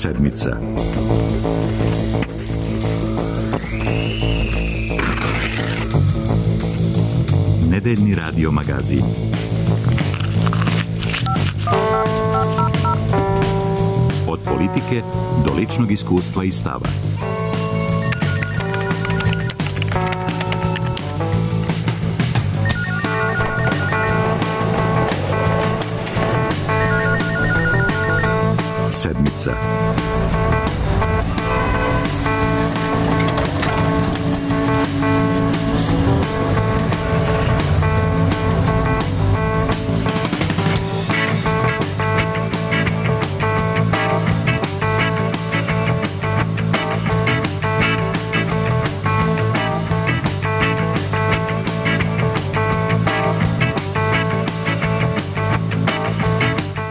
sedmica. Nedeljni radio magazin. Od politike do ličnog iskustva i stava. Sedmica.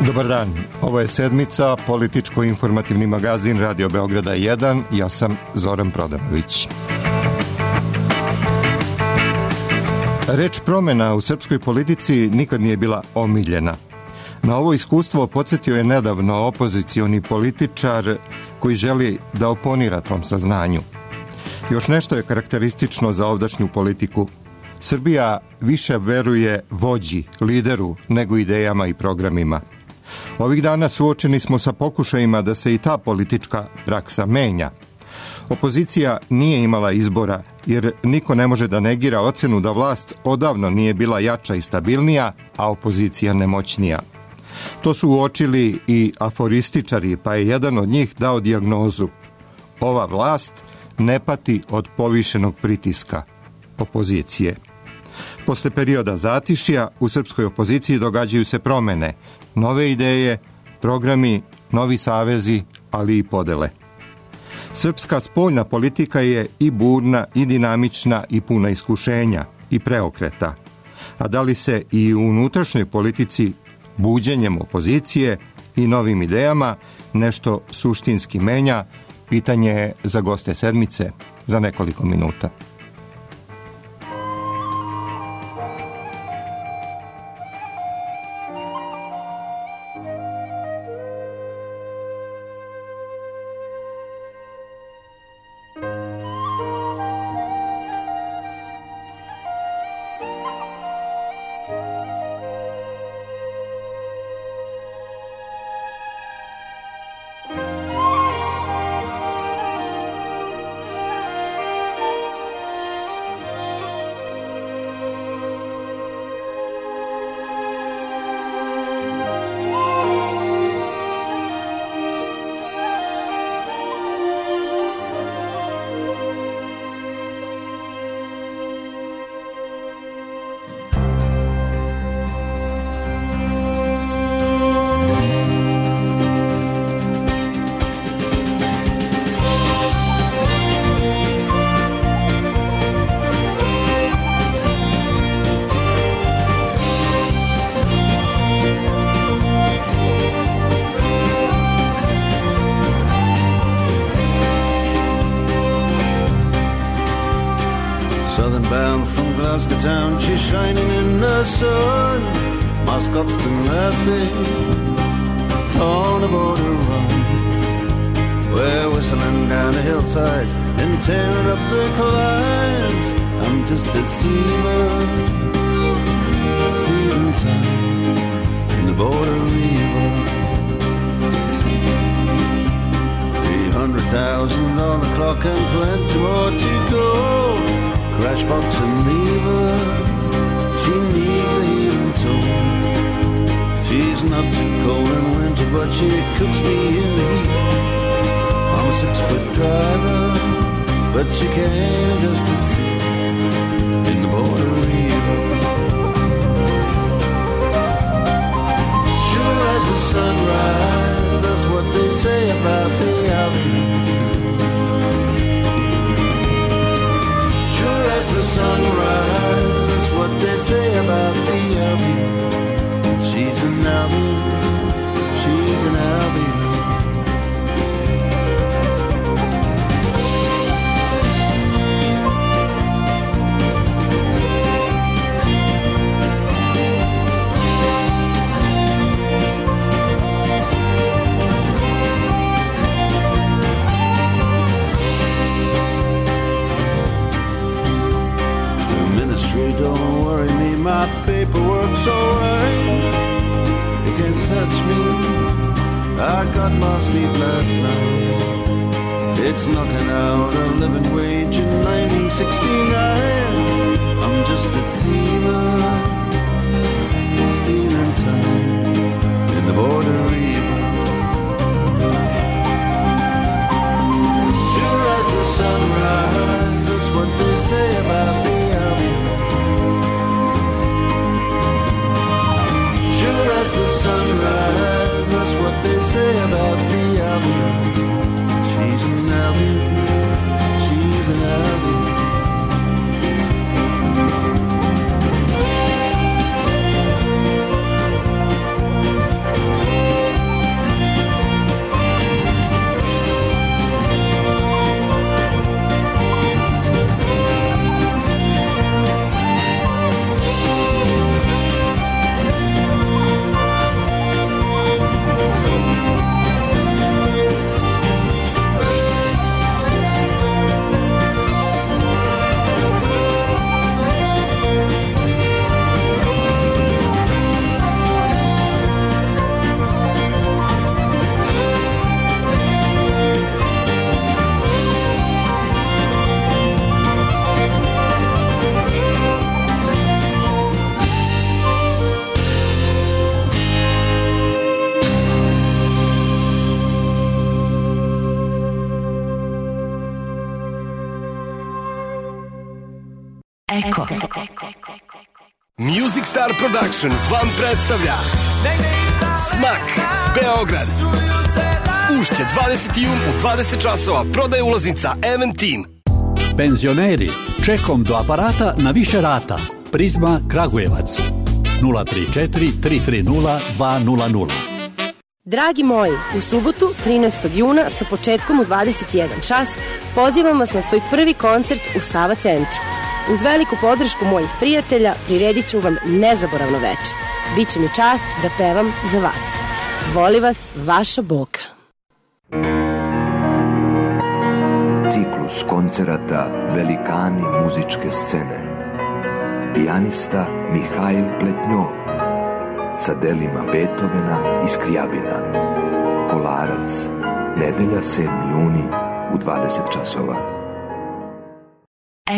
Dobar dan, ovo je sedmica, političko-informativni magazin Radio Beograda 1, ja sam Zoran Prodanović. Reč promjena u srpskoj politici nikad nije bila omiljena. Na ovo iskustvo podsjetio je nedavno opozicioni političar koji želi da oponira tom saznanju. Još nešto je karakteristično za ovdašnju politiku. Srbija više veruje vođi, lideru, nego idejama i programima. Ovih dana suočeni smo sa pokušajima da se i ta politička praksa menja. Opozicija nije imala izbora, jer niko ne može da negira ocenu da vlast odavno nije bila jača i stabilnija, a opozicija nemoćnija. To su uočili i aforističari, pa je jedan od njih dao dijagnozu. Ova vlast ne pati od povišenog pritiska opozicije. Posle perioda zatišja u srpskoj opoziciji događaju se promene, nove ideje, programi, novi savezi, ali i podele. Srpska spoljna politika je i burna, i dinamična, i puna iskušenja, i preokreta. A da li se i u unutrašnjoj politici buđenjem opozicije i novim idejama nešto suštinski menja, pitanje je za goste sedmice za nekoliko minuta. Bound from Glasgow town, she's shining in the sun. My Scotston lassie on a border run. We're whistling down the hillsides and tearing up the climbs. I'm just a steamer, stealing time in the border river. 300,000 on the clock and plenty more to go. Crashbox and Reva, she needs a healing tone. She's not too cold in winter, but she cooks me in the heat. I'm a 6-foot driver, but she can't adjust the seat in the border river. Sure as the sunrise, that's what they say about the Albion. As the sunrise, that's what they say about the Albion. She's an Albion, she's an Albion. I got my sleep last night. It's knocking out a living wage in 1969. I'm just a thiever, stealing time in the border river. Sure as the sunrise, that's what they say about me out here. Sure as the sunrise, that's what they say about me out here. She's an Albion, she's an Albion. Eko. Music Star Production vam predstavlja Smak Beograd. Ušće 20. jun u 20 časova. Prodaje ulaznica Eventim. Penzioneri, čekom do aparata na više rata. Prizma Kragujevac 034 330 200. Dragi moji, u subotu 13. juna sa početkom u 21 čas pozivam vas na svoj prvi koncert u Sava centru. Uz veliku podršku mojih prijatelja priredit ću vam nezaboravno veče. Biće mi čast da pevam za vas. Voli vas, vaša Boka. Ciklus koncerata Velikani muzičke scene. Pijanista Mihajl Pletnjov sa delima Beethovena i Skrijabina. Kolarac, nedelja 7. juni u 20 časova.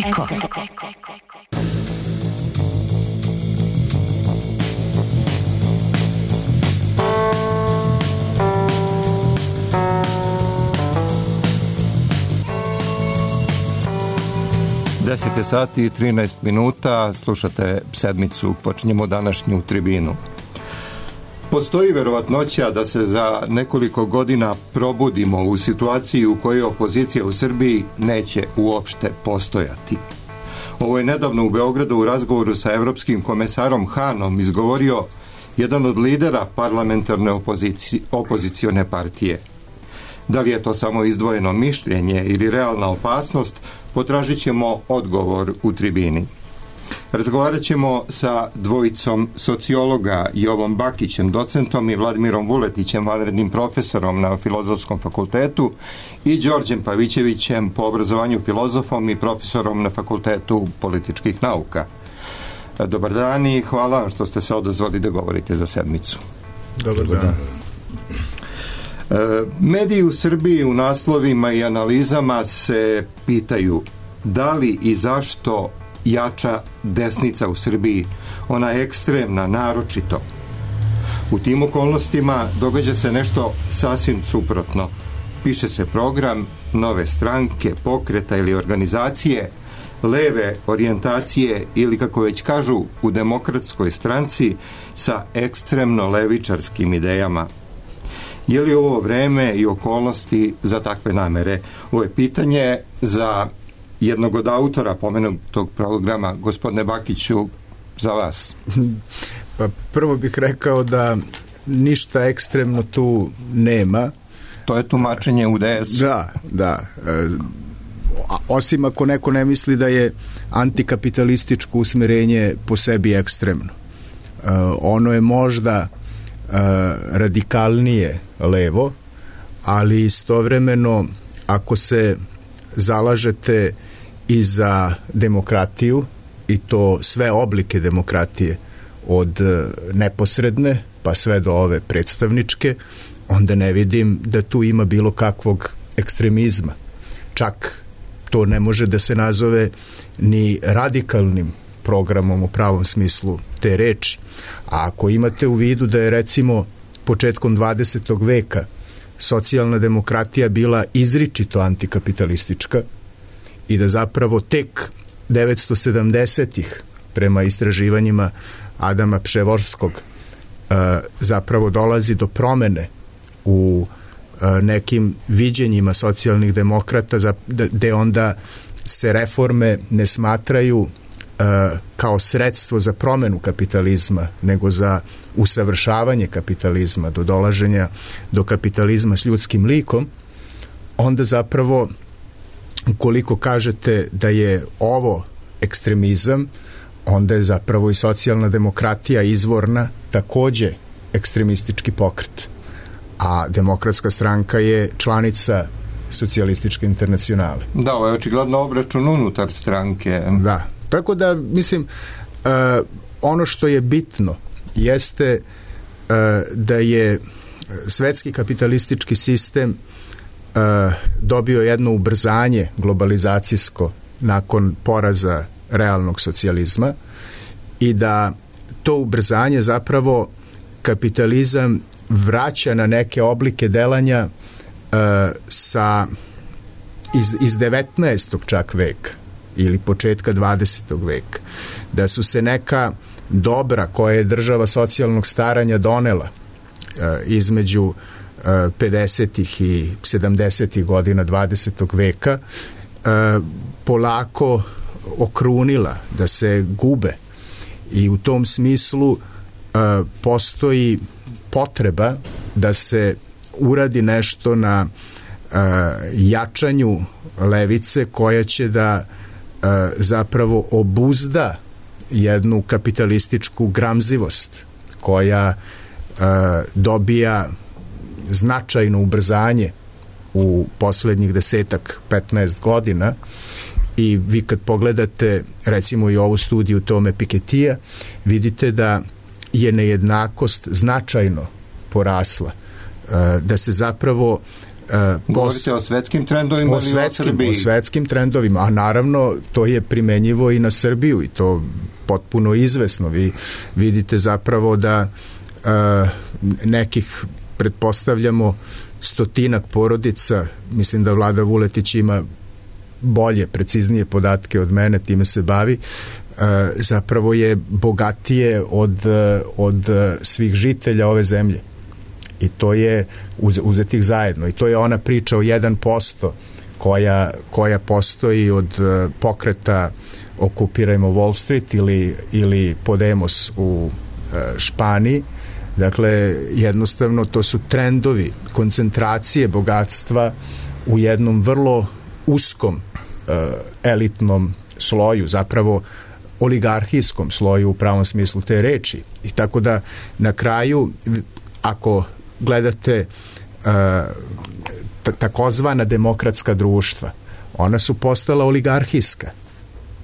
Eko. Deset je sati i 13 minuta, slušate sedmicu, počinjemo današnju tribinu. Postoji verovatnoća da se za nekoliko godina probudimo u situaciji u kojoj opozicija u Srbiji neće uopšte postojati. Ovo je nedavno u Beogradu u razgovoru sa evropskim komesarom Hanom izgovorio jedan od lidera parlamentarne opozicione partije. Da li je to samo izdvojeno mišljenje ili realna opasnost, potražit ćemo odgovor u tribini. Razgovarat ćemo sa dvojicom sociologa, Jovom Bakićem, docentom, i Vladimirom Vuletićem, vanrednim profesorom na Filozofskom fakultetu, i Đorđem Pavićevićem, po obrazovanju filozofom i profesorom na Fakultetu političkih nauka. Dobar dan i hvala vam što ste se odazvali da govorite za sedmicu. Dobar dan. Mediji u Srbiji u naslovima i analizama se pitaju da li i zašto jača desnica u Srbiji, ona ekstremna, naročito. U tim okolnostima događa se nešto sasvim suprotno. Piše se program nove stranke, pokreta ili organizacije, leve orijentacije ili, kako već kažu u Demokratskoj stranci, sa ekstremno levičarskim idejama. Je li ovo vreme i okolnosti za takve namere? Ovo je pitanje za jednog od autora pomenutog programa. Gospodine Bakiću, za vas. Pa prvo bih rekao da ništa ekstremno tu nema. To je tumačenje UDS. Da. Osim ako neko ne misli da je antikapitalističko usmerenje po sebi ekstremno. Ono je možda radikalnije levo, ali istovremeno ako se zalažete i za demokratiju, i to sve oblike demokratije, od neposredne pa sve do ove predstavničke, onda ne vidim da tu ima bilo kakvog ekstremizma. Čak to ne može da se nazove ni radikalnim programom u pravom smislu te reči. A ako imate u vidu da je recimo početkom 20. veka socijalna demokratija bila izričito antikapitalistička i da zapravo tek 970-ih prema istraživanjima Adama Przeworskog zapravo dolazi do promene u nekim viđenjima socijalnih demokrata gde onda se reforme ne smatraju kao sredstvo za promenu kapitalizma, nego za usavršavanje kapitalizma, do dolaženja do kapitalizma s ljudskim likom, onda zapravo ukoliko kažete da je ovo ekstremizam, onda je zapravo i socijalna demokratija izvorna takođe ekstremistički pokret. A Demokratska stranka je članica Socijalističke internacionale. Da, ovo je očigledno obračun unutar stranke. Da, tako da mislim ono što je bitno jeste da je svetski kapitalistički sistem dobio jedno ubrzanje globalizacijsko nakon poraza realnog socijalizma i da to ubrzanje zapravo kapitalizam vraća na neke oblike delanja iz 19. čak veka ili početka 20. veka. Da su se neka dobra koje je država socijalnog staranja donela između 50. i 70. godina 20. veka polako okrunila, da se gube. I u tom smislu postoji potreba da se uradi nešto na jačanju levice koja će da zapravo obuzda jednu kapitalističku gramzivost koja dobija značajno ubrzanje u poslednjih 10-15 godina. I vi kad pogledate recimo i ovu studiju Tome Piketija, vidite da je nejednakost značajno porasla, da se zapravo govorite o svetskim trendovima ili o Srbiji? O svetskim trendovima, a naravno to je primenjivo i na Srbiju i to potpuno izvesno. Vi vidite zapravo da nekih, pretpostavljamo, 100 porodica, mislim da Vlada Vuletić ima bolje, preciznije podatke od mene, time se bavi, zapravo je bogatije od svih žitelja ove zemlje. I to je uzetih zajedno. I to je ona priča o 1% koja postoji od pokreta Okupirajmo Wall Street ili Podemos u Španiji. Dakle, jednostavno to su trendovi koncentracije bogatstva u jednom vrlo uskom elitnom sloju, zapravo oligarhijskom sloju u pravom smislu te reči. I tako da na kraju, ako gledate takozvana demokratska društva, ona su postala oligarhijska.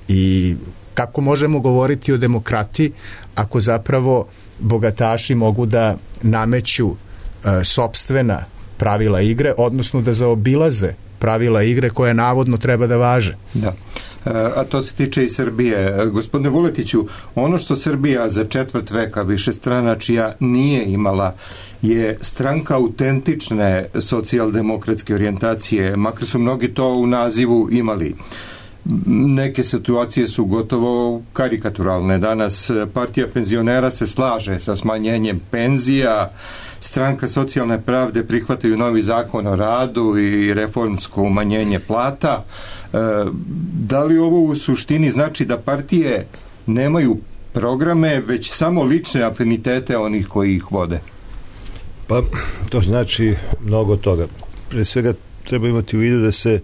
I kako možemo govoriti o demokratiji ako zapravo bogataši mogu da nameću sopstvena pravila igre, odnosno da zaobilaze pravila igre koje navodno treba da važe. Da. A to se tiče i Srbije. Gospodine Vuletiću, ono što Srbija za četvrt veka višestranačija nije imala je stranka autentične socijaldemokratske orijentacije, makar su mnogi to u nazivu imali. Neke situacije su gotovo karikaturalne. Danas partija penzionera se slaže sa smanjenjem penzija, stranka socijalne pravde prihvataju novi zakon o radu i reformsko umanjenje plata. Da li ovo u suštini znači da partije nemaju programe, već samo lične afinitete onih koji ih vode? Pa, to znači mnogo toga. Pre svega treba imati u vidu da se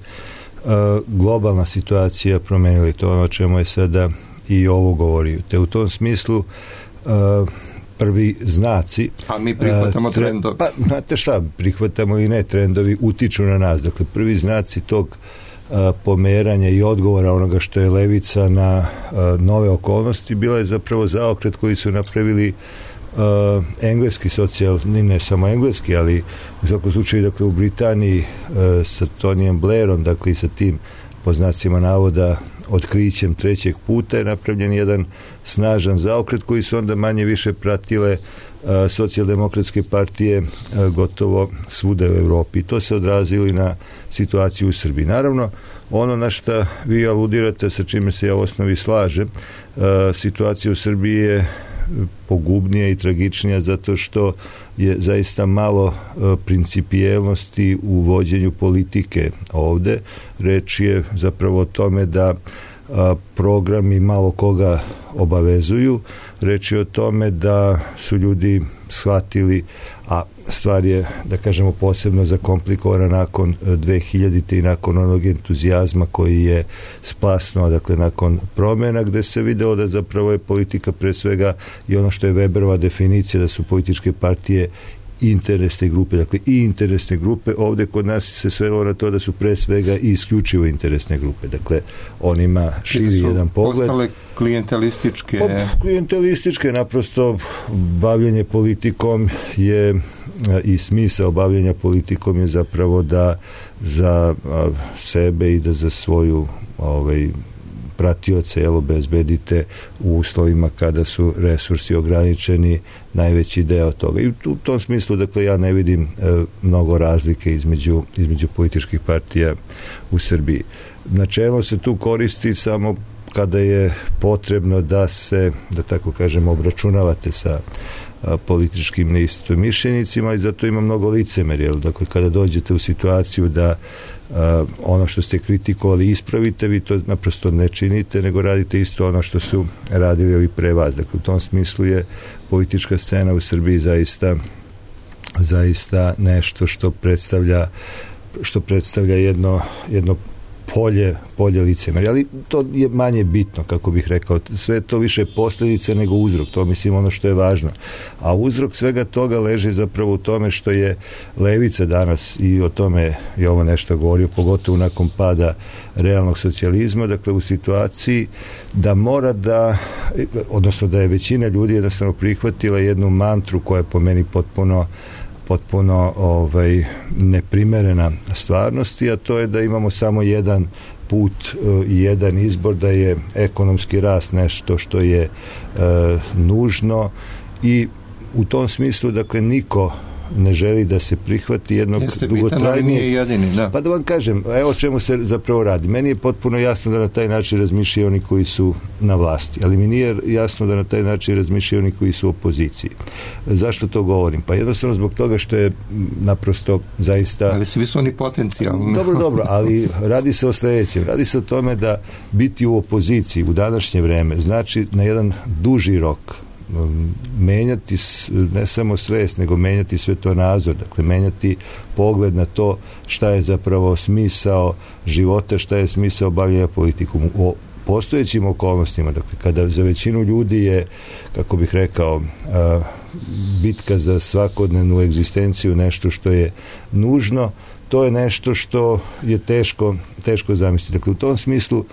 globalna situacija promenila i to ono o čemu je sada i ovo govori. Te u tom smislu prvi znaci... A mi prihvatamo trendovi. Pa, znate šta, prihvatamo i ne, trendovi utiču na nas. Dakle, prvi znaci tog pomeranja i odgovora onoga što je levica na nove okolnosti bila je zapravo zaokret koji su napravili engleski socijalni, ne samo engleski, ali u svakom slučaju, dakle, u Britaniji sa Tonyjem Blairom, dakle, i sa tim, po znacima navoda, otkrićem trećeg puta je napravljen jedan snažan zaokret koji su onda manje više pratile socijaldemokratske partije gotovo svuda u Evropi. I to se odrazilo i na situaciju u Srbiji. Naravno, ono na što vi aludirate, sa čime se ja u osnovi slažem, situacija u Srbiji je pogubnija i tragičnija zato što je zaista malo principijelnosti u vođenju politike ovde. Reč je zapravo o tome da programi malo koga obavezuju. Reč je o tome da su ljudi shvatili, a stvar je, da kažemo, posebno zakomplikovana nakon 2000. i nakon onog entuzijazma koji je splasnuo, dakle, nakon promjena, gde se video da zapravo je politika pre svega i ono što je Weberova definicija da su političke partije interesne grupe, dakle i interesne grupe. Ovde kod nas se svelo na to da su pre svega i isključivo interesne grupe, dakle on ima širi jedan pogled. Postale klijentelističke? Klijentelističke, naprosto bavljenje politikom je i smisao bavljenja politikom je zapravo da za sebe i da za svoju pratioce obezbedite u uslovima kada su resursi ograničeni najveći deo toga. I u tom smislu, dakle, ja ne vidim mnogo razlike između političkih partija u Srbiji. Načelo se tu koristi samo kada je potrebno da se, da tako kažem, obračunavate sa političkim neistomišljenicima i zato ima mnogo licemerja. Dakle, kada dođete u situaciju da ono što ste kritikovali ispravite, vi to naprosto ne činite, nego radite isto ono što su radili ovi pre vas. Dakle, u tom smislu je politička scena u Srbiji zaista nešto što predstavlja jedno polje licemerja, ali to je manje bitno, kako bih rekao. Sve je to više posljedice nego uzrok, to mislim ono što je važno. A uzrok svega toga leži zapravo u tome što je levica danas, i o tome je ovo nešto govorio, pogotovo nakon pada realnog socijalizma, dakle u situaciji da mora odnosno da je većina ljudi jednostavno prihvatila jednu mantru koja je po meni potpuno neprimerena stvarnosti, a to je da imamo samo jedan put i jedan izbor, da je ekonomski rast nešto što je nužno i u tom smislu, dakle, niko ne želi da se prihvati jednog dugotrajnije. Pa da vam kažem, evo o čemu se zapravo radi. Meni je potpuno jasno da na taj način razmišljaju oni koji su na vlasti, ali mi nije jasno da na taj način razmišljaju oni koji su u opoziciji. Zašto to govorim? Pa jednostavno zbog toga što je naprosto zaista... Ali svi su oni potencijalni. Dobro, ali radi se o sljedećem. Radi se o tome da biti u opoziciji u današnje vreme znači na jedan duži rok menjati ne samo svest, nego menjati svetonazor, dakle menjati pogled na to šta je zapravo smisao života, šta je smisao bavljenja politikom. U postojećim okolnostima, dakle kada za većinu ljudi je, kako bih rekao, bitka za svakodnevnu egzistenciju nešto što je nužno, to je nešto što je teško zamisliti. Dakle, u tom smislu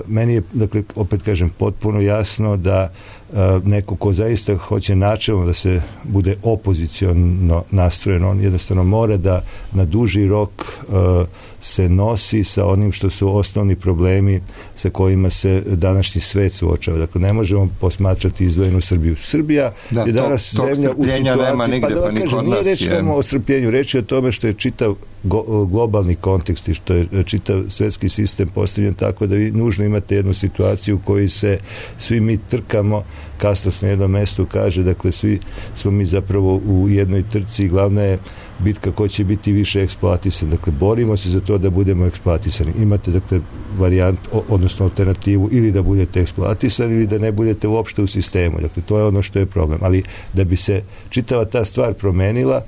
meni je, dakle, opet kažem, potpuno jasno da neko ko zaista hoće načelno da se bude opoziciono nastrojen, on jednostavno mora da na duži rok se nosi sa onim što su osnovni problemi sa kojima se današnji svet suočava. Dakle, ne možemo posmatrati izdvojenu Srbiju. Srbija je danas zemlja u situaciji, pa da vam kažem, nije reč samo o strpljenju, reč je o tome što je čitav globalni kontekst i što je čitav svetski sistem postavljen tako da vi nužno imate jednu situaciju u kojoj se svi mi trkamo, Kastos na jednom mestu kaže, dakle svi smo mi zapravo u jednoj trci i glavna je bitka ko će biti više eksploatisan. Dakle, borimo se za to da budemo eksploatisani. Imate, dakle, varijant, odnosno alternativu, ili da budete eksploatisani ili da ne budete uopšte u sistemu. Dakle, to je ono što je problem. Ali da bi se čitava ta stvar promenila,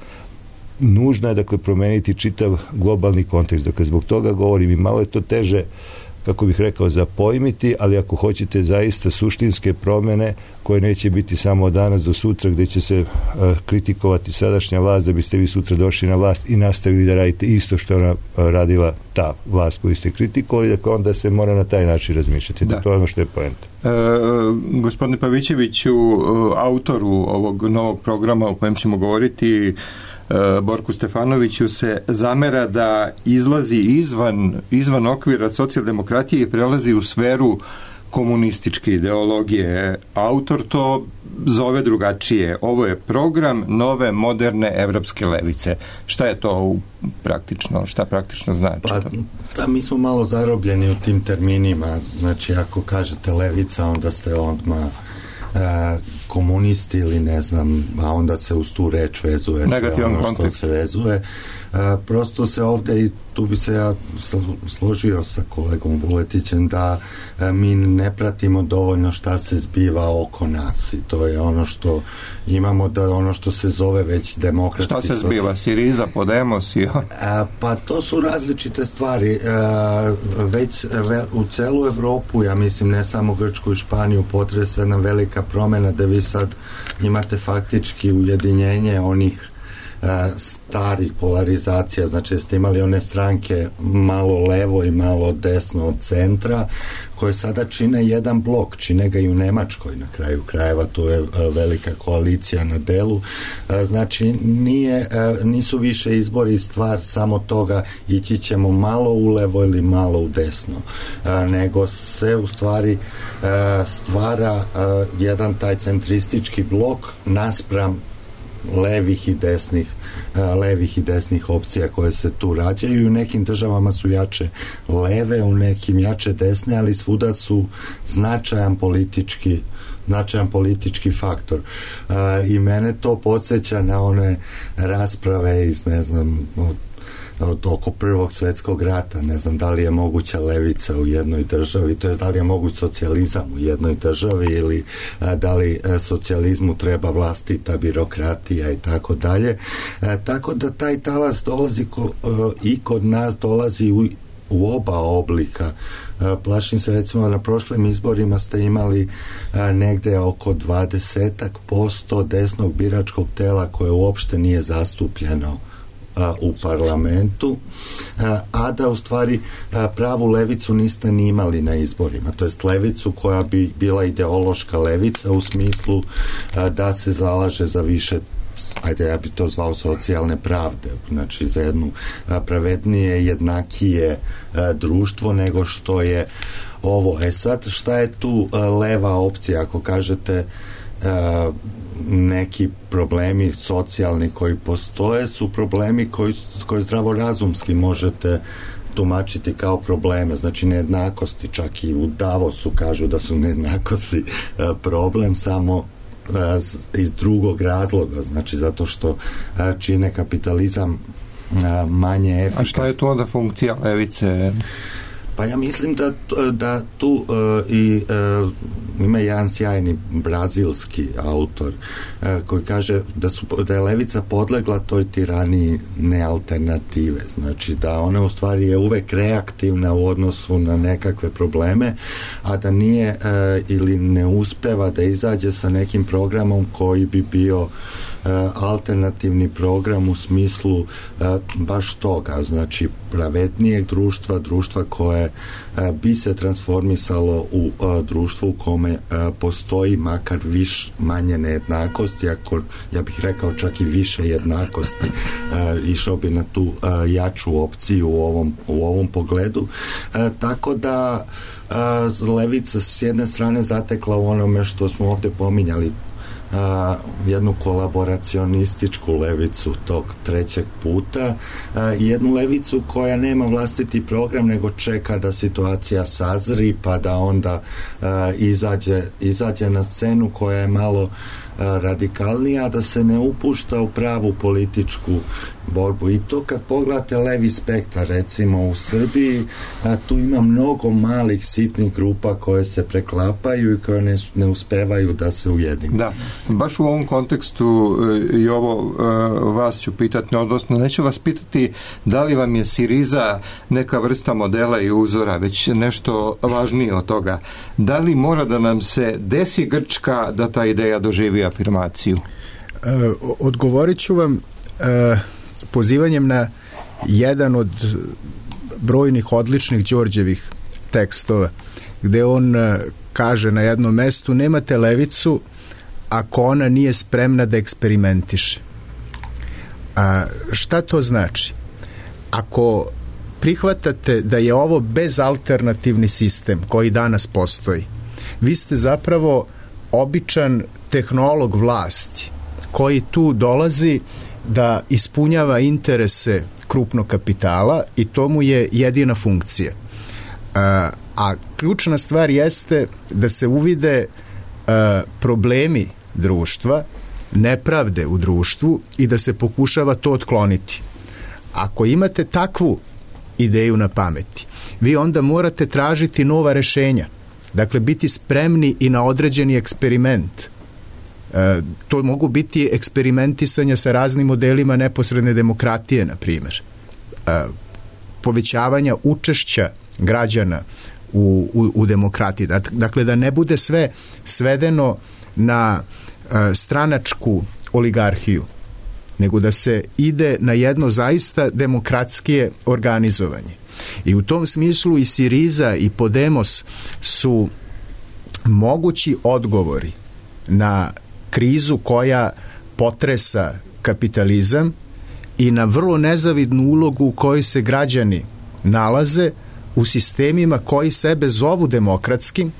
nužno je, dakle, promeniti čitav globalni kontekst. Dakle, zbog toga govorim i malo je to teže, kako bih rekao, zapojmiti, ali ako hoćete zaista suštinske promene koje neće biti samo od danas do sutra, gde će se kritikovati sadašnja vlast da biste vi sutra došli na vlast i nastavili da radite isto što ona radila ta vlast koju ste kritikovali, dakle onda se mora na taj način razmišljati. Da. To je ono što je poenta. Gospodine Pavićeviću, autoru ovog novog programa o kojem ćemo govoriti, Borku Stefanoviću, se zamera da izlazi izvan okvira socijaldemokratije i prelazi u sferu komunističke ideologije. Autor to zove drugačije. Ovo je program nove moderne evropske levice. Šta je to praktično? Šta praktično znači? Pa, da, mi smo malo zarobljeni u tim terminima. Znači, ako kažete levica, onda ste odmah komunisti ili ne znam, a onda se uz tu reč vezuje sve ono što se vezuje. Prosto se ovde, i tu bi se ja složio sa kolegom Vuletićem, da mi ne pratimo dovoljno šta se zbiva oko nas, i to je ono što imamo, da ono što se zove već demokratski... Šta se zbiva? Siriza, Podemos i... Pa to su različite stvari. Već u celu Evropu, ja mislim, ne samo Grčku i Španiju, potresa jedna velika promena da vi sad imate faktički ujedinjenje onih starih polarizacija, znači ste imali one stranke malo levo i malo desno od centra, koje sada čine jedan blok, čine ga i u Nemačkoj na kraju krajeva, to je velika koalicija na delu. Znači nisu više izbori stvar samo toga ići ćemo malo u levo ili malo u desno, nego se u stvari stvara jedan taj centristički blok naspram levih i desnih opcija koje se tu rađaju, i u nekim državama su jače leve, u nekim jače desne, ali svuda su značajan politički faktor. I mene to podsjeća na one rasprave iz, ne znam, od oko Prvog svjetskog rata, ne znam da li je moguća levica u jednoj državi, to je da li je moguć socijalizam u jednoj državi, ili da li socijalizmu treba vlastita birokratija i tako dalje. Tako da taj talas dolazi i kod nas dolazi u oba oblika. Plašim se, recimo, na prošlim izborima ste imali negde oko 20% desnog biračkog tela koje uopšte nije zastupljeno u parlamentu, a da u stvari pravu levicu niste ni imali na izborima, to jest levicu koja bi bila ideološka levica u smislu da se zalaže za više, ajde, ja bi to zvao socijalne pravde, znači za jednu pravednije, jednakije društvo nego što je ovo. Sad, šta je tu leva opcija? Ako kažete neki problemi socijalni koji postoje su problemi koji zdravorazumski možete tumačiti kao probleme, znači nejednakosti, čak i u Davosu kažu da su nejednakosti problem, samo iz drugog razloga, znači zato što čine kapitalizam manje efikasno. A šta je to onda funkcija levice? Pa ja mislim da tu ima jedan sjajni brazilski autor koji kaže da je levica podlegla toj tiraniji nealternative, znači da ona u stvari je uvek reaktivna u odnosu na nekakve probleme, a da nije ili ne uspeva da izađe sa nekim programom koji bi bio alternativni program u smislu baš toga, znači pravednijeg društva koje bi se transformisalo u društvo u kome postoji makar manje nejednakosti, ako ja bih rekao čak i više jednakosti, išao bi na tu jaču opciju u ovom pogledu, tako da levica s jedne strane zatekla u onome što smo ovde pominjali, jednu kolaboracionističku levicu tog trećeg puta i jednu levicu koja nema vlastiti program nego čeka da situacija sazri pa da onda izađe na scenu koja je malo radikalnija, da se ne upušta u pravu političku borbu. I to kad pogledate levi spektar, recimo u Srbiji, tu ima mnogo malih sitnih grupa koje se preklapaju i koje ne uspevaju da se ujedine. Da, baš u ovom kontekstu i ovo vas ću pitati, odnosno neću vas pitati da li vam je Siriza neka vrsta modela i uzora, već nešto važnije od toga. Da li mora da nam se desi Grčka da ta ideja doživi afirmaciju? Odgovorit ću vam pozivanjem na jedan od brojnih odličnih Đorđevih tekstova, gde on kaže na jednom mestu: nemate levicu ako ona nije spremna da eksperimentiše. A šta to znači? Ako prihvatate da je ovo bezalternativni sistem koji danas postoji, vi ste zapravo običan tehnolog vlasti koji tu dolazi da ispunjava interese krupnog kapitala i to mu je jedina funkcija. A ključna stvar jeste da se uvide problemi društva, nepravde u društvu i da se pokušava to otkloniti. Ako imate takvu ideju na pameti, vi onda morate tražiti nova rešenja. Dakle, biti spremni i na određeni eksperiment. To mogu biti eksperimentisanja sa raznim modelima neposredne demokratije, na primjer. Povećavanja učešća građana u demokratiji. Dakle, da ne bude sve svedeno na stranačku oligarhiju, nego da se ide na jedno zaista demokratskije organizovanje. I u tom smislu i Siriza i Podemos su mogući odgovori na krizu koja potresa kapitalizam i na vrlo nezavidnu ulogu u kojoj se građani nalaze u sistemima koji sebe zovu demokratskim,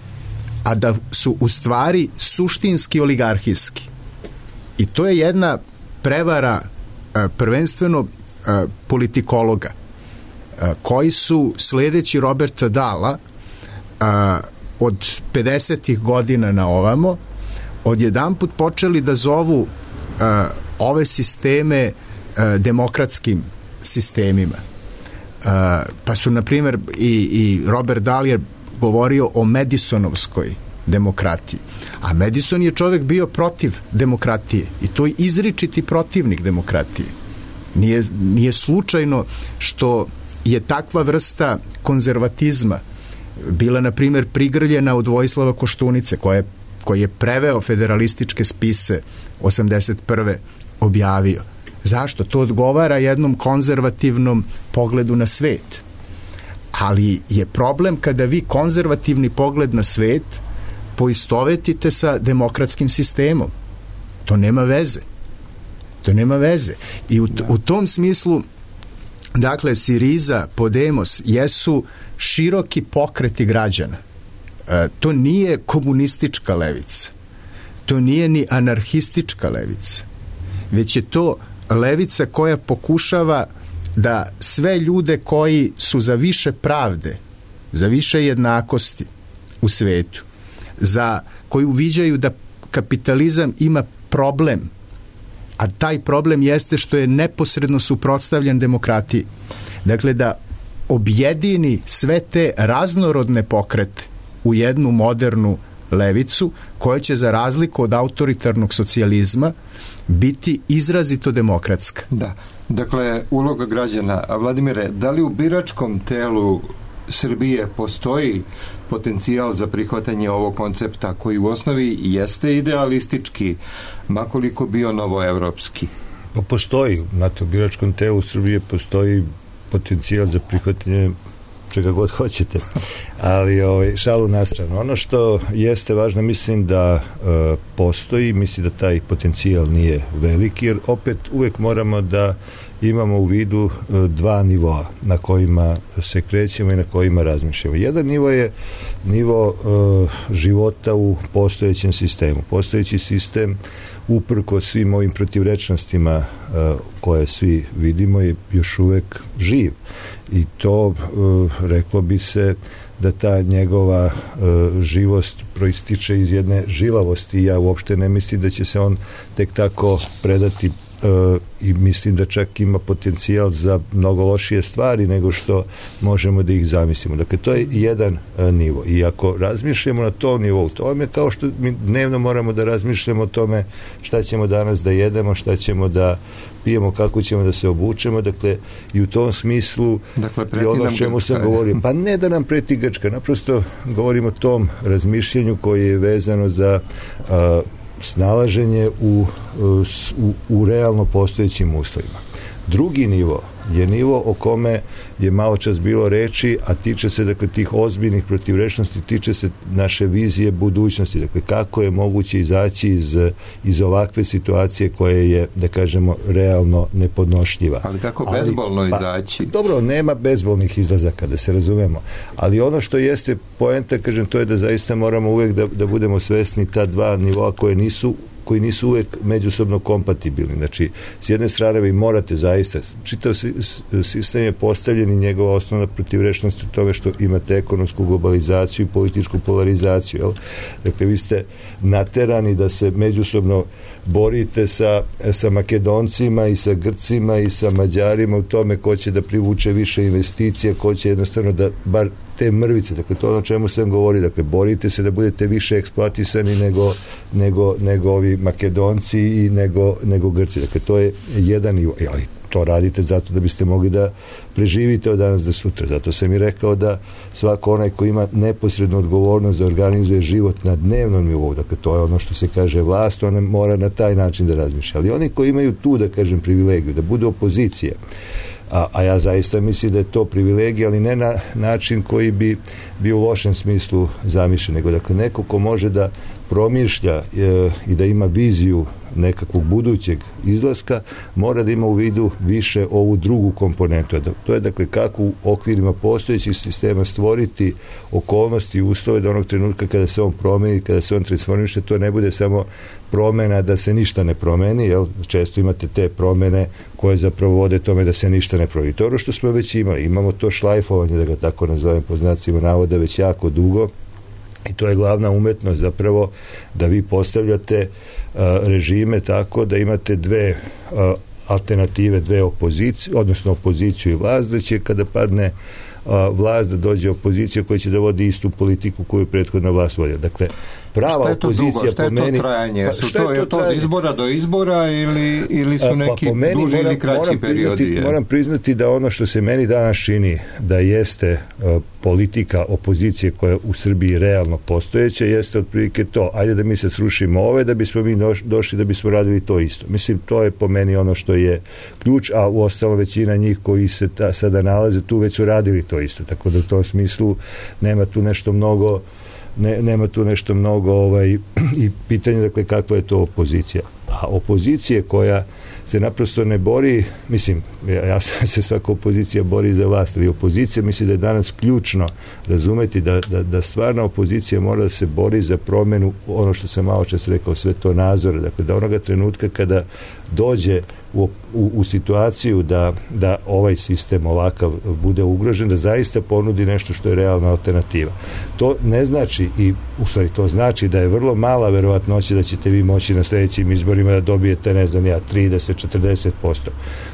a da su u stvari suštinski oligarhijski. I to je jedna prevara prvenstveno politikologa koji su sledeći Roberta Dahla od 50. godina na ovamo odjedanput počeli da zovu ove sisteme demokratskim sistemima. Pa su, na primjer, i Robert Dahl je govorio o Madisonovskoj demokratiji. A Madison je čovjek bio protiv demokratije i to je izričiti protivnik demokratije. Nije slučajno što je takva vrsta konzervatizma bila, na primjer, prigrljena od Vojislava Koštunice, koji je preveo federalističke spise 81. objavio. Zašto? To odgovara jednom konzervativnom pogledu na svet. Ali je problem kada vi konzervativni pogled na svet poistovetite sa demokratskim sistemom. To nema veze. To nema veze. I u tom smislu, dakle, Siriza, Podemos jesu široki pokreti građana. To nije komunistička levica. To nije ni anarhistička levica. Već je to levica koja pokušava da sve ljude koji su za više pravde, za više jednakosti u svetu, koji uviđaju da kapitalizam ima problem, a taj problem jeste što je neposredno suprotstavljen demokratiji. Dakle, da objedini sve te raznorodne pokrete u jednu modernu levicu koja će, za razliku od autoritarnog socijalizma, biti izrazito demokratska. Da. Dakle, uloga građana. A Vladimire, da li u biračkom telu Srbije postoji potencijal za prihvatanje ovog koncepta koji u osnovi jeste idealistički, makoliko bio novoevropski? Pa postoji. Znate, u biračkom telu Srbije postoji potencijal za prihvatanje čega god hoćete. Ali šalu na stranu. Ono što jeste važno, mislim da postoji, mislim da taj potencijal nije veliki, jer opet uvek moramo da imamo u vidu dva nivoa na kojima se krećemo i na kojima razmišljamo. Jedan nivo je nivo života u postojećem sistemu. Postojeći sistem, uprko svim ovim protivrečnostima koje svi vidimo, je još uvek živ. I to, reklo bi se, da ta njegova živost proističe iz jedne žilavosti. Ja uopšte ne mislim da će se on tek tako predati i mislim da čak ima potencijal za mnogo lošije stvari nego što možemo da ih zamislimo. Dakle, to je jedan nivo. I ako razmišljamo na tom nivou, to vam je kao što mi dnevno moramo da razmišljamo o tome šta ćemo danas da jedemo, šta ćemo da pijemo, kako ćemo da se obučemo, dakle, i u tom smislu i ono čemu sam govorio. Pa ne da nam preti Grčka, naprosto govorimo o tom razmišljanju koje je vezano za snalaženje u realno postojećim uslovima. Drugi nivo je nivo o kome je malo čas bilo reči, a tiče se, dakle, tih ozbiljnih protivrečnosti, tiče se naše vizije budućnosti, dakle, kako je moguće izaći iz ovakve situacije koje je, da kažemo, realno nepodnošljiva. Ali kako bezbolno izaći? Dobro, nema bezbolnih izlazaka, da se razumemo, ali ono što jeste poenta, kažem, to je da zaista moramo uvek da budemo svesni ta dva nivoa koji nisu uvek međusobno kompatibilni. Znači, s jedne strane vi morate zaista, čitav sistem je postavljen i njegova osnovna protivrečnost u tome što imate ekonomsku globalizaciju i političku polarizaciju. Jel? Dakle, vi ste naterani da se međusobno borite sa Makedoncima i sa Grcima i sa Mađarima u tome ko će da privuče više investicija, ko će jednostavno da bar te mrvice, dakle to ono čemu sam govorio, dakle borite se da budete više eksploatisani nego ovi Makedonci i nego Grci, dakle to je jedan nivo, ali to radite zato da biste mogli da preživite od danas do sutra, zato sam i rekao da svako onaj ko ima neposrednu odgovornost da organizuje život na dnevnom nivou, dakle to je ono što se kaže vlast, ona mora na taj način da razmišlja, ali oni koji imaju tu, da kažem, privilegiju, da budu opozicija, a ja zaista mislim da je to privilegija, ali ne na način koji bi bio u lošem smislu zamišljen, nego dakle neko ko može da promišlja i da ima viziju nekakvog budućeg izlaska, mora da ima u vidu više ovu drugu komponentu. To je dakle kako u okvirima postojećih sistema stvoriti okolnosti i uslove da onog trenutka kada se on promeni, kada se on transformiše, to ne bude samo promena da se ništa ne promeni, jel? Često imate te promene koje zapravo vode tome da se ništa ne promeni. To je ono što smo već imali. Imamo to šlajfovanje, da ga tako nazovem po znacima navoda, već jako dugo. I to je glavna umetnost zapravo da vi postavljate režime tako da imate dve alternative, dve opozicije, odnosno opoziciju i vlast, da će kada padne vlast da dođe opozicija koja će da vodi istu politiku koju je prethodna vlast vodila. Dakle, prava opozicija po meni... Šta je to trajanje? Je to od izbora do izbora ili su neki duži ili kraći periodi? Moram priznati da ono što se meni danas čini da jeste politika opozicije koja je u Srbiji realno postojeća, jeste otprilike to. Ajde da mi se srušimo ove, da bismo mi došli da bismo radili to isto. Mislim, to je po meni ono što je ključ, a u ostalo većina njih koji se sada nalaze tu već su radili to isto. Tako da u tom smislu nema tu nešto mnogo i pitanje, dakle, kakva je to opozicija. A opozicije koja se naprosto ne bori, mislim, ja se svaka opozicija bori za vlast, ali opozicija mislim da je danas ključno razumeti da stvarna opozicija mora da se bori za promenu, ono što sam malo čas rekao, svetonazora, dakle da onoga trenutka kada dođe u situaciju da ovaj sistem ovakav bude ugrožen, da zaista ponudi nešto što je realna alternativa. To ne znači, i u stvari to znači da je vrlo mala verovatnoća da ćete vi moći na sljedećim izborima da dobijete, ne znam ja, 30-40%.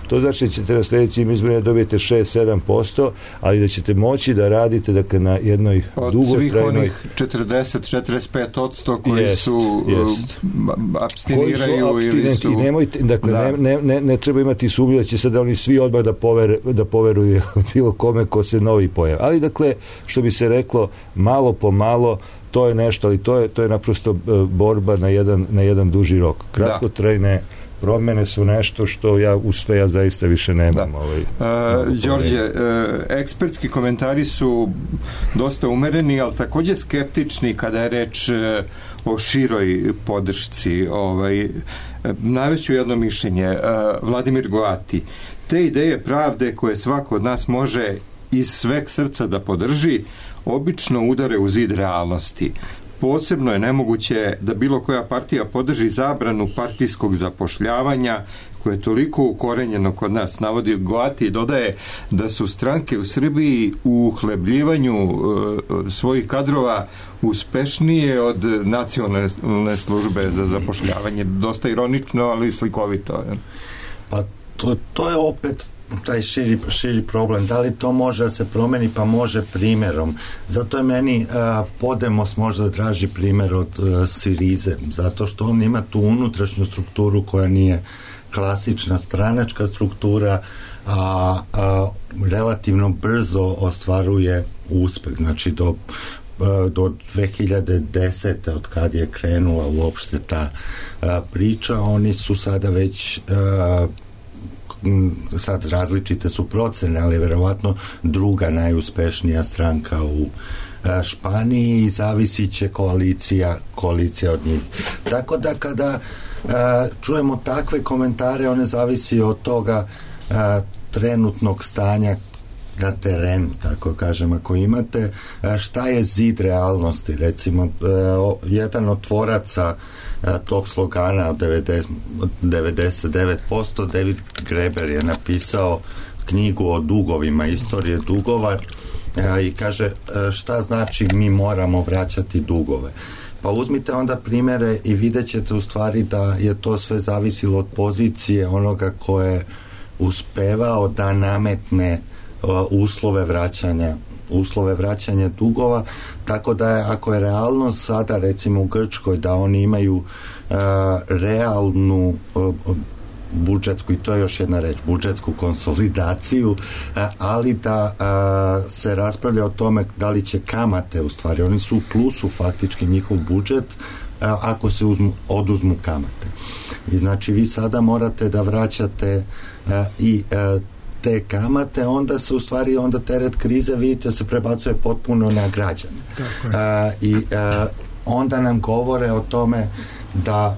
To znači da ćete na sljedećim izborima da dobijete 6-7%, ali da ćete moći da radite, dakle, na jednoj dugotrajnoj... Od svih onih 40-45% koji su abstiniraju ili su... I nemojte, dakle, ne treba imati sumnju da će sada oni svi odmah da poveruju bilo kome ko se novi pojavi. Ali, dakle, što bi se reklo, malo po malo, to je nešto, ali to je naprosto borba na jedan duži rok. Kratkotrajne promene su nešto što ja zaista više nemam. Đorđe, ekspertski komentari su dosta umereni, ali također skeptični kada je reč o široj podršci. Navešću jedno mišljenje. Vladimir Goati. Te ideje pravde koje svako od nas može iz sveg srca da podrži, obično udare u zid realnosti. Posebno je nemoguće da bilo koja partija podrži zabranu partijskog zapošljavanja koje je toliko ukorenjeno kod nas. Navodi Goati i dodaje da su stranke u Srbiji u uhlebljivanju svojih kadrova uspešnije od nacionalne službe za zapošljavanje. Dosta ironično, ali slikovito. Pa to je opet taj širi problem. Da li to može da se promeni? Pa može primjerom. Zato je meni Podemos možda draži primjer od Sirize, zato što on ima tu unutrašnju strukturu koja nije klasična stranačka struktura, a relativno brzo ostvaruje uspeh. Znači do 2010. od kad je krenula uopšte ta priča, oni su sada već sad različite su procene, ali verovatno druga najuspešnija stranka u Španiji i zavisit će koalicija od njih. Tako da kada čujemo takve komentare, one zavisi od toga trenutnog stanja na terenu, tako kažem, ako imate šta je zid realnosti. Recimo, jedan od tvoraca tog slogana od 99%, David Graeber je napisao knjigu o dugovima, istorije dugova, i kaže šta znači mi moramo vraćati dugove. Pa uzmite onda primjere i vidjet ćete u stvari da je to sve zavisilo od pozicije onoga ko je uspevao da nametne uslove vraćanja dugova, tako da je, ako je realnost sada recimo u Grčkoj da oni imaju realnu budžetsku, i to je još jedna reč, budžetsku konsolidaciju, ali da se raspravlja o tome da li će kamate, u stvari oni su u plusu faktički njihov budžet ako se oduzmu kamate. I znači vi sada morate da vraćate i te kamate, onda se u stvari onda teret krize, vidite, se prebacuje potpuno na građane. I onda nam govore o tome da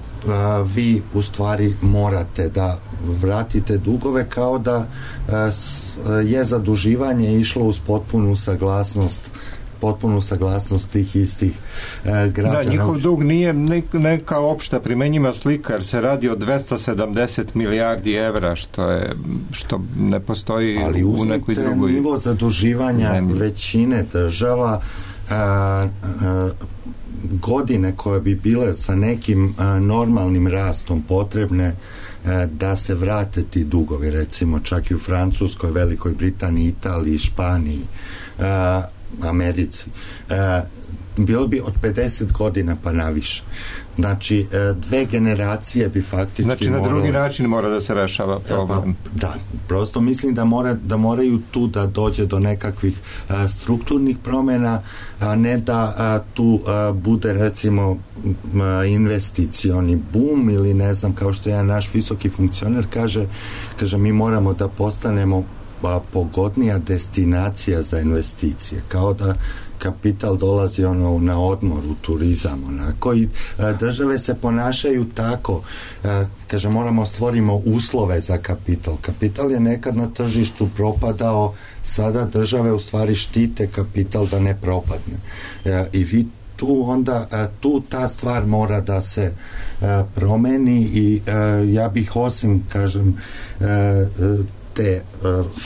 vi u stvari morate da vratite dugove, kao da je zaduživanje išlo uz potpunu saglasnost tih istih građana. Da, njihov dug nije neka opšta primenjiva slika, jer se radi o 270 milijardi evra, što ne postoji u nekoj drugoj. Ali uzmite nivo zaduživanja većine država, godine koje bi bile sa nekim normalnim rastom potrebne da se vrate ti dugovi, recimo čak i u Francuskoj, Velikoj Britaniji, Italiji, Španiji, Americi, bilo bi od 50 godina pa naviše. Znači, 2 generacije bi faktički znači, na drugi način mora da se rešava problem. Da, prosto mislim da moraju tu da dođe do nekakvih strukturnih promjena, a ne da tu bude recimo investicioni boom ili ne znam, kao što jedan naš visoki funkcioner kaže mi moramo da postanemo pogodnija destinacija za investicije, kao da kapital dolazi na odmor, u turizam, onako, i države se ponašaju tako, kaže moramo stvorimo uslove za kapital. Kapital je nekad na tržištu propadao, sada države u stvari štite kapital da ne propadne. I vi tu ta stvar mora da se promeni i ja bih osim, kažem, te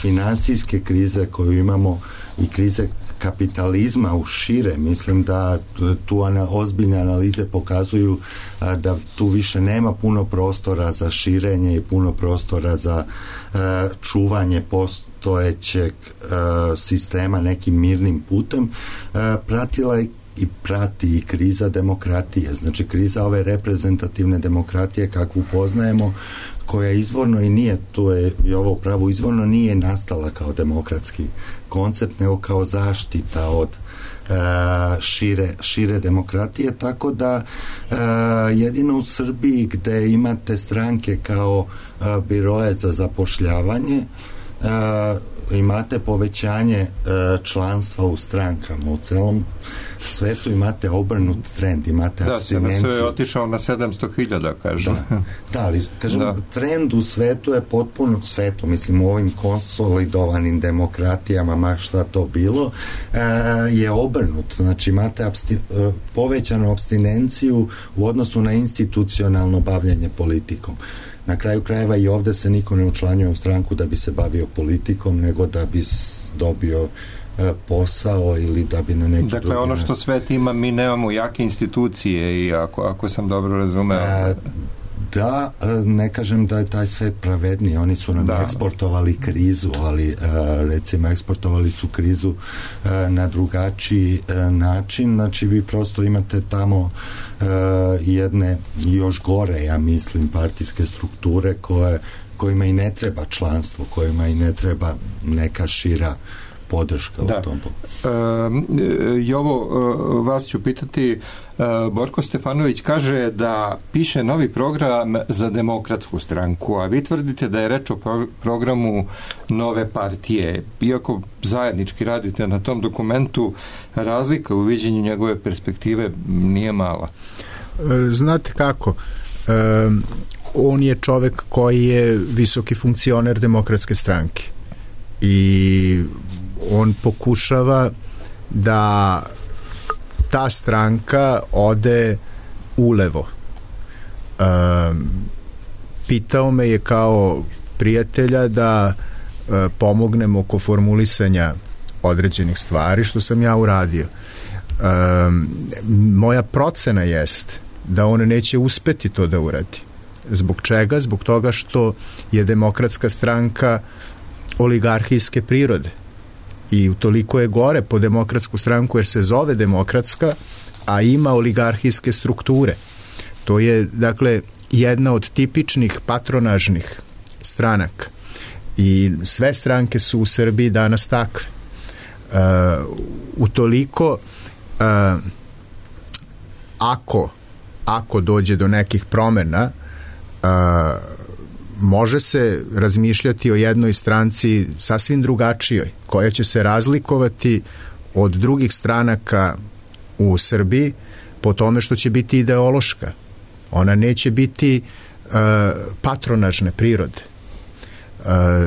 finansijske krize koju imamo i krize kapitalizma u šire, mislim da tu ozbiljne analize pokazuju da tu više nema puno prostora za širenje i puno prostora za čuvanje postojećeg sistema nekim mirnim putem. Pratila je i prati i kriza demokratije, znači kriza ove reprezentativne demokratije kakvu poznajemo, koja izvorno i nije, tu je i ovo pravo izvorno nije nastala kao demokratski koncept, nego kao zaštita od šire demokratije, tako da jedino u Srbiji gde imate stranke kao biroje za zapošljavanje imate povećanje članstva u strankama. U celom svetu imate obrnut trend, imate apstinenciju. Da, se otišao na 700.000, kažem. Da, ali, kažem, trend u svetu je potpuno, mislim, u ovim konsolidovanim demokratijama, ma šta to bilo, je obrnut. Znači, imate povećanu apstinenciju u odnosu na institucionalno bavljanje politikom. Na kraju krajeva i ovde se niko ne učlanjuje u stranku da bi se bavio politikom, nego da bi dobio posao ili da bi na neki drugi... Dakle, ono što svet ima, mi nemamo jake institucije i ako sam dobro razumeo... Da, ne kažem da je taj svet pravedniji, oni su nam eksportovali krizu, ali recimo eksportovali su krizu na drugačiji način, znači vi prosto imate tamo jedne još gore, ja mislim, partijske strukture kojima i ne treba članstvo, kojima i ne treba neka šira podrška u tom. Jovo, vas ću pitati, Borko Stefanović kaže da piše novi program za Demokratsku stranku, a vi tvrdite da je reč o programu nove partije. Iako zajednički radite na tom dokumentu, razlika u viđenju njegove perspektive nije mala. Znate kako, on je čovek koji je visoki funkcioner Demokratske stranke i on pokušava da ta stranka ode ulevo. Pitao me je kao prijatelja da pomognem oko formulisanja određenih stvari, što sam ja uradio. Moja procena jest da on neće uspeti to da uradi. Zbog čega? Zbog toga što je Demokratska stranka oligarhijske prirode. I utoliko je gore po Demokratsku stranku jer se zove demokratska, a ima oligarhijske strukture. To je, dakle, jedna od tipičnih patronažnih stranaka. I sve stranke su u Srbiji danas takve. Utoliko, ako dođe do nekih promena, može se razmišljati o jednoj stranci sasvim drugačijoj, koja će se razlikovati od drugih stranaka u Srbiji po tome što će biti ideološka. Ona neće biti patronažne prirode.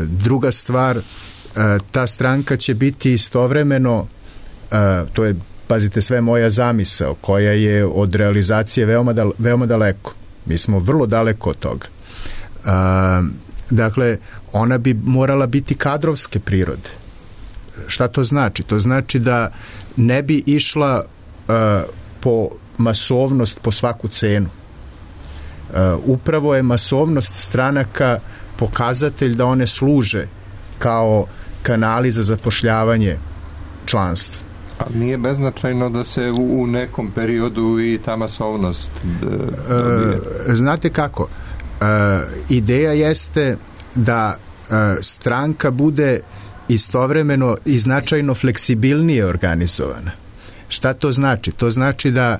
Druga stvar, ta stranka će biti istovremeno, to je, pazite, sve moja zamisao, koja je od realizacije veoma daleko. Mi smo vrlo daleko od toga. Dakle, ona bi morala biti kadrovske prirode. Šta to znači? To znači da ne bi išla po masovnost po svaku cenu. Upravo je masovnost stranaka pokazatelj da one služe kao kanali za zapošljavanje članstva. Ali nije beznačajno da se u nekom periodu i ta masovnost dobije? Znate kako? Ideja jeste da stranka bude istovremeno i značajno fleksibilnije organizovana. Šta to znači? To znači da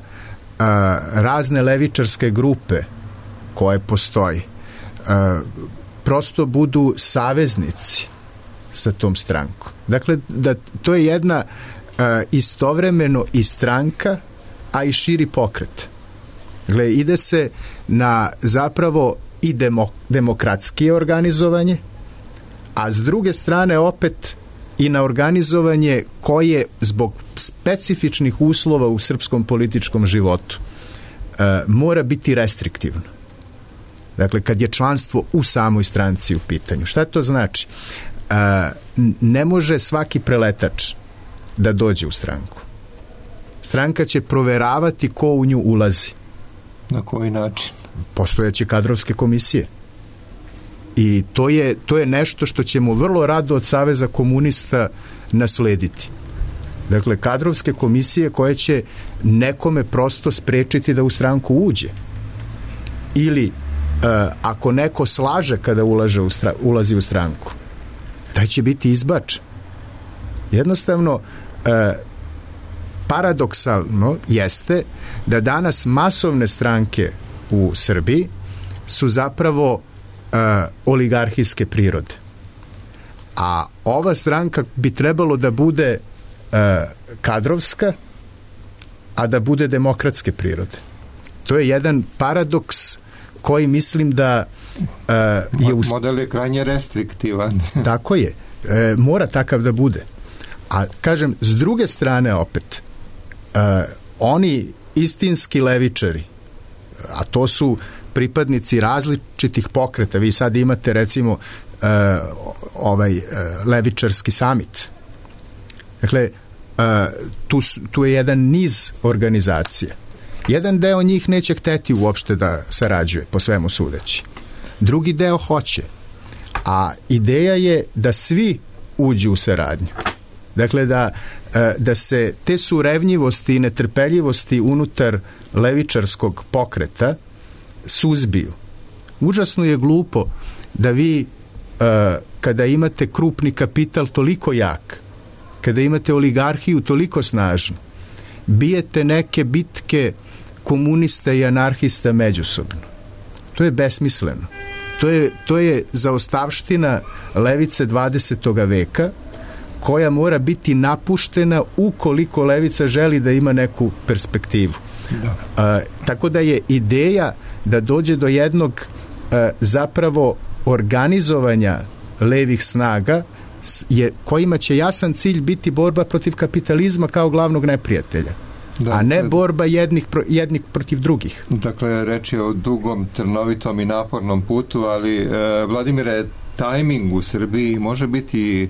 razne levičarske grupe koje postoji prosto budu saveznici sa tom strankom. Dakle, da to je jedna istovremeno i stranka, a i širi pokret. Dakle, ide se na zapravo i demokratskije organizovanje, a s druge strane opet i na organizovanje koje zbog specifičnih uslova u srpskom političkom životu mora biti restriktivno. Dakle, kad je članstvo u samoj stranci u pitanju. Šta to znači? Ne može svaki preletač da dođe u stranku. Stranka će proveravati ko u nju ulazi. Na koji način? Postojeće kadrovske komisije. I to je nešto što ćemo vrlo rado od Saveza komunista naslediti. Dakle, kadrovske komisije koje će nekome prosto sprečiti da u stranku uđe. Ili ako neko slaže kada ulazi u stranku, taj će biti izbačen. Jednostavno, paradoksalno jeste da danas masovne stranke u Srbiji su zapravo oligarhijske prirode. A ova stranka bi trebalo da bude kadrovska, a da bude demokratske prirode. To je jedan paradoks koji mislim da model je krajnje restriktivan. Tako je. Mora takav da bude. A kažem, s druge strane opet, oni istinski levičari, a to su pripadnici različitih pokreta. Vi sad imate recimo levičarski samit. Dakle, tu je jedan niz organizacija. Jedan deo njih neće hteti uopšte da sarađuje, po svemu sudeći. Drugi deo hoće. A ideja je da svi uđu u saradnju. Dakle, da se te surevnjivosti i netrpeljivosti unutar levičarskog pokreta suzbiju. Užasno je glupo da vi kada imate krupni kapital toliko jak, kada imate oligarhiju toliko snažnu, bijete neke bitke komunista i anarhista međusobno. To je besmisleno. To je zaostavština levice 20. veka koja mora biti napuštena ukoliko levica želi da ima neku perspektivu. Tako da je ideja da dođe do jednog zapravo organizovanja levih snaga kojima će jasan cilj biti borba protiv kapitalizma kao glavnog neprijatelja. A ne borba jednih protiv drugih. Dakle, reč je o dugom, trnovitom i napornom putu, ali Vladimire, tajming u Srbiji može biti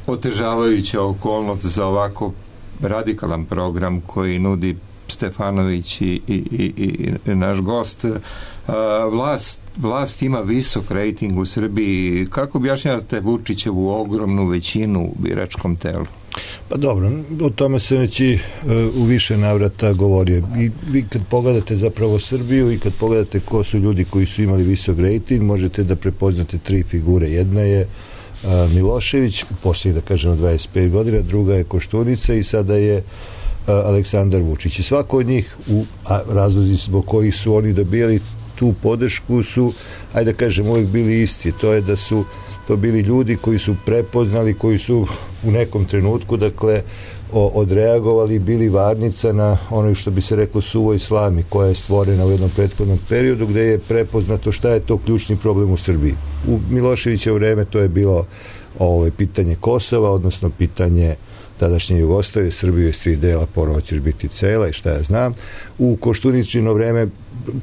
otežavajuća okolnost za ovako radikalan program koji nudi Stefanović i naš gost. Vlast ima visok rejting u Srbiji. Kako objašnjavate Vučićevu ogromnu većinu u biračkom telu? Pa dobro, o tome se već i u više navrata govorio. I vi kad pogledate zapravo Srbiju i kad pogledate ko su ljudi koji su imali visok rejting, možete da prepoznate tri figure. Jedna je Milošević, u posljednjih, da kažemo, 25 godina, druga je Koštunica i sada je Aleksandar Vučić. I svako od njih, razlozi zbog kojih su oni dobijali tu podršku su, ajde da kažem, uvijek bili isti. To je da su to bili ljudi koji su prepoznali, koji su u nekom trenutku, dakle, odreagovali, bili varnica na ono što bi se reklo suvoj slami koja je stvorena u jednom prethodnom periodu gde je prepoznato šta je to ključni problem u Srbiji. U Miloševićevo vreme to je bilo pitanje Kosova, odnosno pitanje tadašnje Jugoslavije, Srbije iz 3 dela, ponovo ćeš biti cela i šta ja znam. U Koštuničino vreme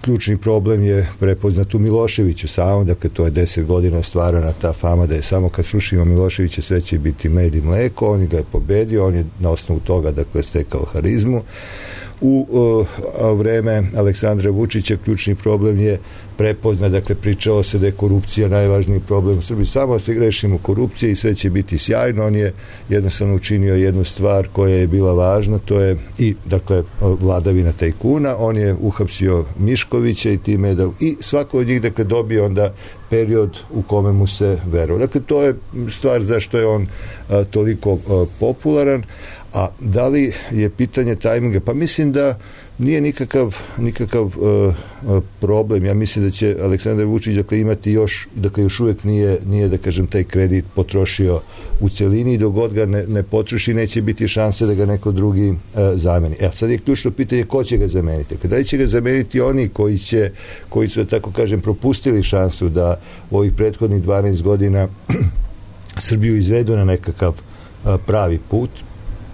ključni problem je prepoznat u Miloševiću samom, dakle to je 10 godina stvarana ta fama da je samo kad slušimo Miloševića sve će biti med i mleko, on ga je pobedio, on je na osnovu toga dakle stekao harizmu. U vreme Aleksandra Vučića ključni problem je prepoznat, dakle pričalo se da je korupcija najvažniji problem u Srbiji, samo se grešimo korupcije i sve će biti sjajno. On je jednostavno učinio jednu stvar koja je bila važna, to je i dakle vladavina tajkuna, on je uhapsio Miškovića i time da i svako od njih dakle dobio onda period u kome mu se verovao. Dakle to je stvar zašto je on toliko popularan. A da li je pitanje tajminga? Pa mislim da nije nikakav problem. Ja mislim da će Aleksandar Vučić dakle imati još uvijek nije da kažem taj kredit potrošio u celini i dok god ga ne potroši neće biti šanse da ga neko drugi zameni. Sad je ključno pitanje ko će ga zameniti. Da li će ga zameniti oni koji su tako kažem propustili šansu da u ovih prethodnih 12 godina Srbiju izvedu na nekakav pravi put.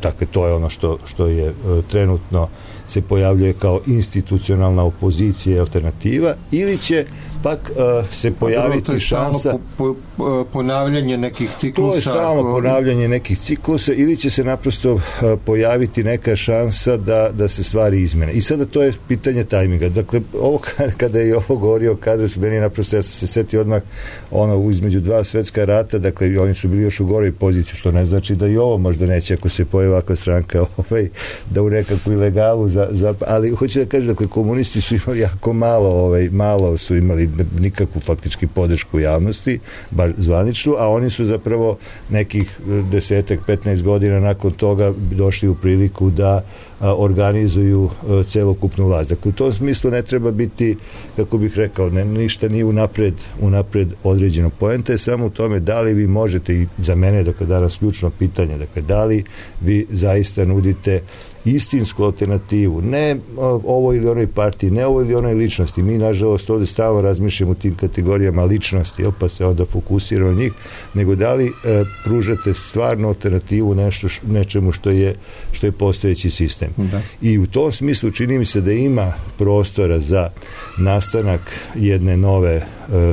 Dakle, to je ono što je trenutno se pojavljuje kao institucionalna opozicija i alternativa, ili će pak se pojaviti šansa... ponavljanje nekih ciklusa... To je stalno ponavljanje nekih ciklusa, ili će se naprosto pojaviti neka šansa da se stvari izmene. I sada to je pitanje tajminga. Dakle, ovo kada je ovo govorio Kadros, meni naprosto, ja sam se setio odmah između 2 svetska rata, dakle, oni su bili još u goroj poziciji, što ne znači da i ovo možda neće, ako se pojavi ovakva stranka, da u nekakvu ilegalu ali hoću da kažem, dakle, komunisti su imali jako malo su imali nikakvu faktički podršku javnosti, bar zvaničnu, a oni su zapravo nekih 10-15 godina nakon toga došli u priliku da organizuju celokupnu vlast. Dakle, u tom smislu ne treba biti, kako bih rekao, ništa nije unapred određeno. Poenta je samo u tome da li vi možete, i za mene dakle danas ključno pitanje, dakle da li vi zaista nudite istinsku alternativu, ne ovoj ili onoj partiji, ne ovoj ili onoj ličnosti. Mi, nažalost, ovde stalno razmišljamo u tim kategorijama ličnosti, pa se onda fokusiramo na njih, nego da li pružate stvarnu alternativu nečemu što je postojeći sistem. Da. I u tom smislu čini mi se da ima prostora za nastanak jedne nove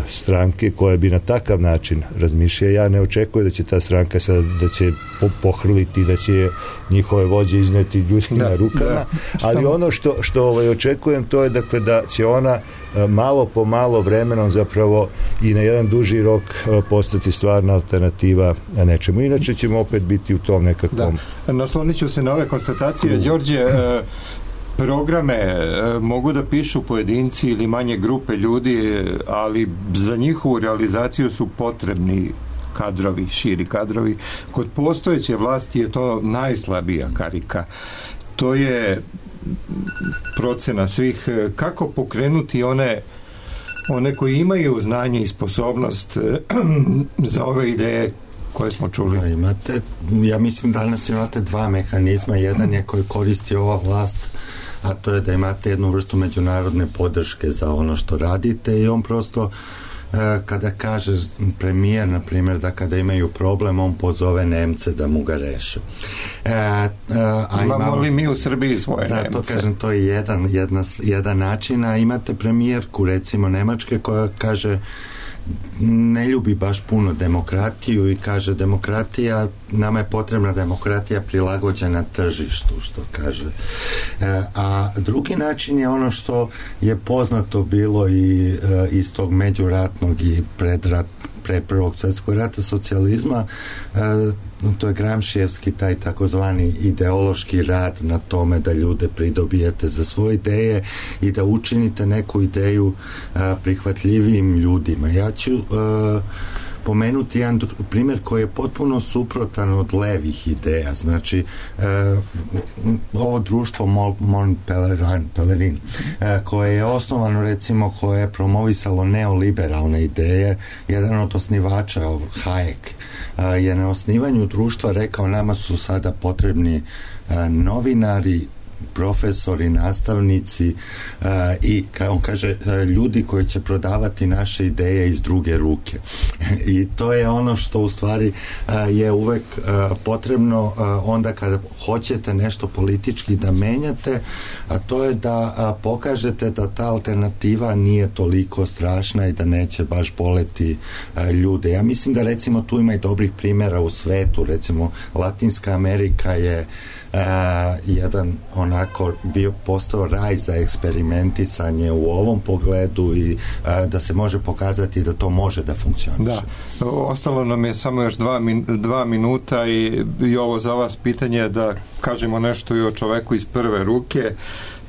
stranke koja bi na takav način razmišljala. Ja ne očekujem da će ta stranka sad, da će pohrliti, da će njihove vođe izneti ljudi na rukama, ali ono što očekujem, to je dakle da će ona malo po malo vremenom zapravo i na jedan duži rok postati stvarna alternativa nečemu. Inače ćemo opet biti u tom nekakvom... Da. Naslonit ću se na ove konstatacije. Đorđe, programe mogu da pišu pojedinci ili manje grupe ljudi, ali za njihovu realizaciju su potrebni kadrovi, širi kadrovi. Kod postojeće vlasti je to najslabija karika. To je procena svih. Kako pokrenuti one koji imaju znanje i sposobnost za ove ideje koje smo čuli? Ja mislim danas imate dva mehanizma. Jedan je koji koristi ova vlast, a to je da imate jednu vrstu međunarodne podrške za ono što radite i on prosto kada kaže premijer, na primjer, da kada imaju problem, on pozove Nemce da mu ga reše. Imamo li mi u Srbiji svoje Nemce? Da, to kažem, to je jedan način, a imate premijerku, recimo, Nemačke, koja kaže ne ljubi baš puno demokratiju i kaže demokratija, nama je potrebna demokratija prilagođena tržištu, što kaže. A drugi način je ono što je poznato bilo i iz tog međuratnog i pre Prvog svjetskog rata socijalizma, to je Gramšijevski taj takozvani ideološki rad na tome da ljude pridobijete za svoje ideje i da učinite neku ideju prihvatljivijim ljudima. Ja ću pomenuti jedan primjer koji je potpuno suprotan od levih ideja. Znači, ovo društvo Mont Pelerin, koje je osnovano, recimo, koje je promovisalo neoliberalne ideje, jedan od osnivača, Hayek, je na osnivanju društva rekao, nama su sada potrebni novinari, profesori, nastavnici i on kaže ljudi koji će prodavati naše ideje iz druge ruke. I to je ono što u stvari je uvek potrebno onda kada hoćete nešto politički da menjate, a to je da pokažete da ta alternativa nije toliko strašna i da neće baš boleti ljude. Ja mislim da recimo tu ima i dobrih primjera u svetu, recimo Latinska Amerika je jedan onako postao raj za eksperimentisanje u ovom pogledu i da se može pokazati da to može da funkcioniše. Da, ostalo nam je samo još 2 minuta i ovo za vas pitanje da kažemo nešto i o čoveku iz prve ruke.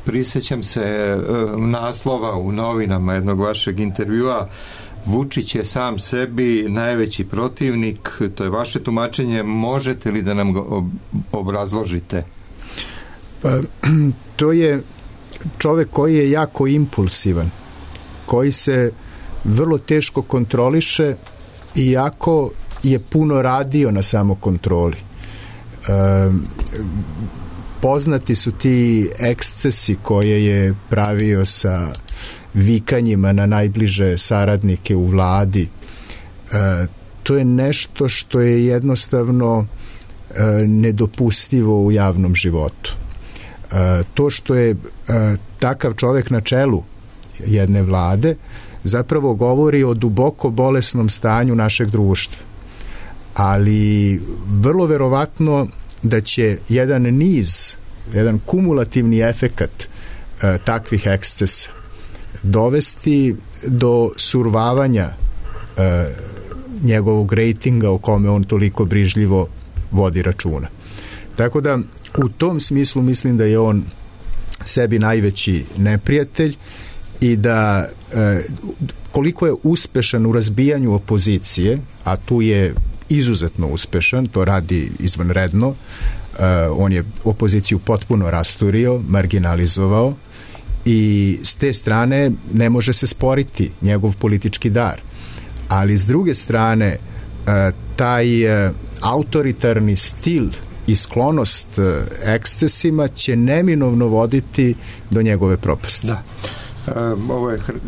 Prisjećam se naslova u novinama jednog vašeg intervjua: Vučić je sam sebi najveći protivnik. To je vaše tumačenje. Možete li da nam ga obrazložite? Pa, to je čovek koji je jako impulsivan, koji se vrlo teško kontroliše, iako je puno radio na samokontroli. Poznati su ti ekscesi koje je pravio sa vikanjima na najbliže saradnike u vladi. To je nešto što je jednostavno nedopustivo u javnom životu. To što je takav čovek na čelu jedne vlade zapravo govori o duboko bolesnom stanju našeg društva. Ali vrlo verovatno da će jedan kumulativni efekat takvih ekscesa dovesti do survavanja njegovog rejtinga o kome on toliko brižljivo vodi računa. Tako da u tom smislu mislim da je on sebi najveći neprijatelj i da koliko je uspešan u razbijanju opozicije, a tu je izuzetno uspešan, to radi izvanredno, on je opoziciju potpuno rasturio, marginalizovao i s te strane ne može se sporiti njegov politički dar. Ali s druge strane, taj autoritarni stil i sklonost ekscesima će neminovno voditi do njegove propasti. Da.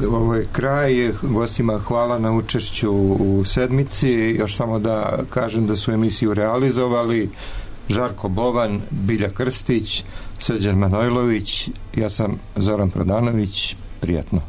Ovo je kraj. Gostima hvala na učešću u sedmici. Još samo da kažem da su emisiju realizovali Žarko Bovan, Bilja Krstić, Srđan Manojlović, ja sam Zoran Prodanović. Prijatno.